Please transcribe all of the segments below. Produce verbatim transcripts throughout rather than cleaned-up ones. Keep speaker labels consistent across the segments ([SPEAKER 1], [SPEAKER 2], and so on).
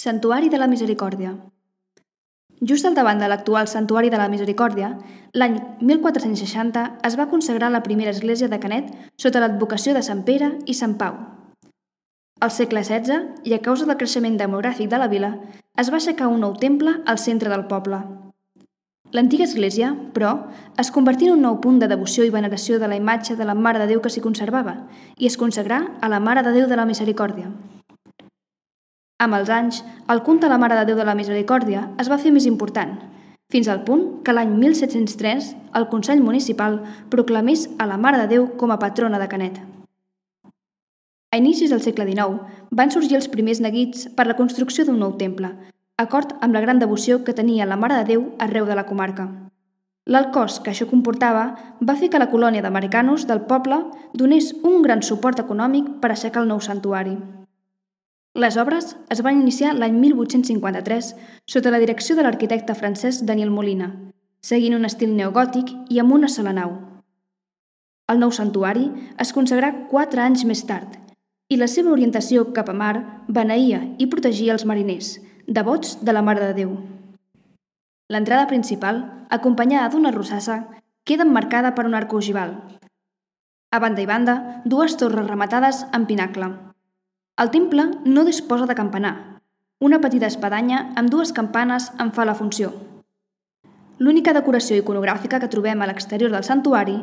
[SPEAKER 1] Santuari de la Misericòrdia. Just al davant de l'actual Santuari de la Misericòrdia, l'any mil quatre-cents seixanta es va consagrar la primera església de Canet sota l'advocació de Sant Pere i Sant Pau. Al segle setze, i a causa del creixement demogràfic de la vila, es va aixecar un nou temple al centre del poble. L'antiga església, però, es convertí en un nou punt de devoció i veneració de la imatge de la Mare de Déu que s'hi conservava i es consagrà a la Mare de Déu de la Misericòrdia. Amb els anys, el culte a la Mare de Déu de la Misericòrdia es va fer més important, fins al punt que l'any mil set-cents tres el Consell Municipal proclamés a la Mare de Déu com a patrona de Canet. A inicis del segle dinou van sorgir els primers neguits per la construcció d'un nou temple, acord amb la gran devoció que tenia la Mare de Déu arreu de la comarca. L'alt cost que això comportava va fer que la colònia d'americanos del poble donés un gran suport econòmic per aixecar el nou santuari. Les obres es van iniciar l'any mil vuit-cents cinquanta-tres sota la direcció de l'arquitecte francès Daniel Molina, seguint un estil neogòtic i amb una sola nau. El nou santuari es consagrà quatre anys més tard i la seva orientació cap a mar beneïa i protegia els mariners, devots de la Mare de Déu. L'entrada principal, acompanyada d'una rosassa, queda emmarcada per un arc ogival. A banda i banda, dues torres rematades amb pinacle. El temple no disposa de campanar. Una petita espadanya amb dues campanes en fa la funció. L'única decoració iconogràfica que trobem a l'exterior del santuari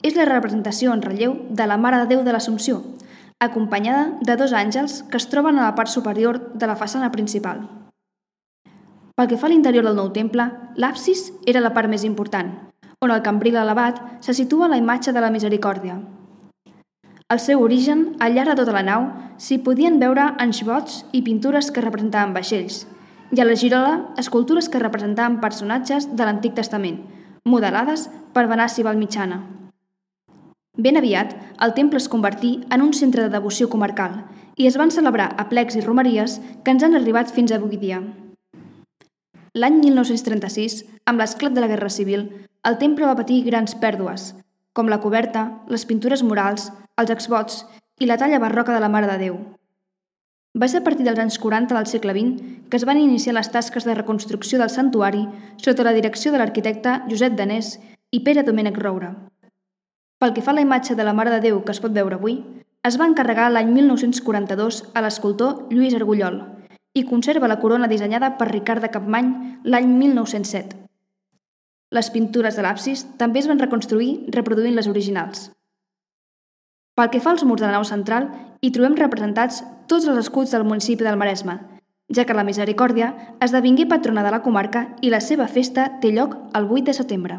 [SPEAKER 1] és la representació en relleu de la Mare de Déu de l'Assumpció, acompanyada de dos àngels que es troben a la part superior de la façana principal. Pel que fa a l'interior del nou temple, l'absis era la part més important, on al cambril elevat se situa la imatge de la Misericòrdia. Al seu origen, al llarg de tota la nau, s'hi podien veure anxbots i pintures que representaven vaixells, i a la girola, escultures que representaven personatges de l'Antic Testament, modelades per Venàcia Valmitjana. Ben aviat, el temple es convertí en un centre de devoció comarcal i es van celebrar aplecs i romeries que ens han arribat fins avui dia. L'any mil nou-cents trenta-sis, amb l'esclat de la Guerra Civil, el temple va patir grans pèrdues, com la coberta, les pintures murals, els exvots i la talla barroca de la Mare de Déu. Va ser a partir dels anys quaranta del segle vint que es van iniciar les tasques de reconstrucció del santuari sota la direcció de l'arquitecte Josep Danés i Pere Domènec Roura. Pel que fa a la imatge de la Mare de Déu que es pot veure avui, es va encarregar l'any mil nou-cents quaranta-dos a l'escultor Lluís Argullol i conserva la corona dissenyada per Ricard de Capmany l'any mil nou-cents set. Les pintures de l'absis també es van reconstruir reproduint les originals. Pel que fa als murs de la nau central, hi trobem representats tots els escuts del municipi del Maresme, ja que la Misericòrdia esdevingué patrona de la comarca i la seva festa té lloc el vuit de setembre.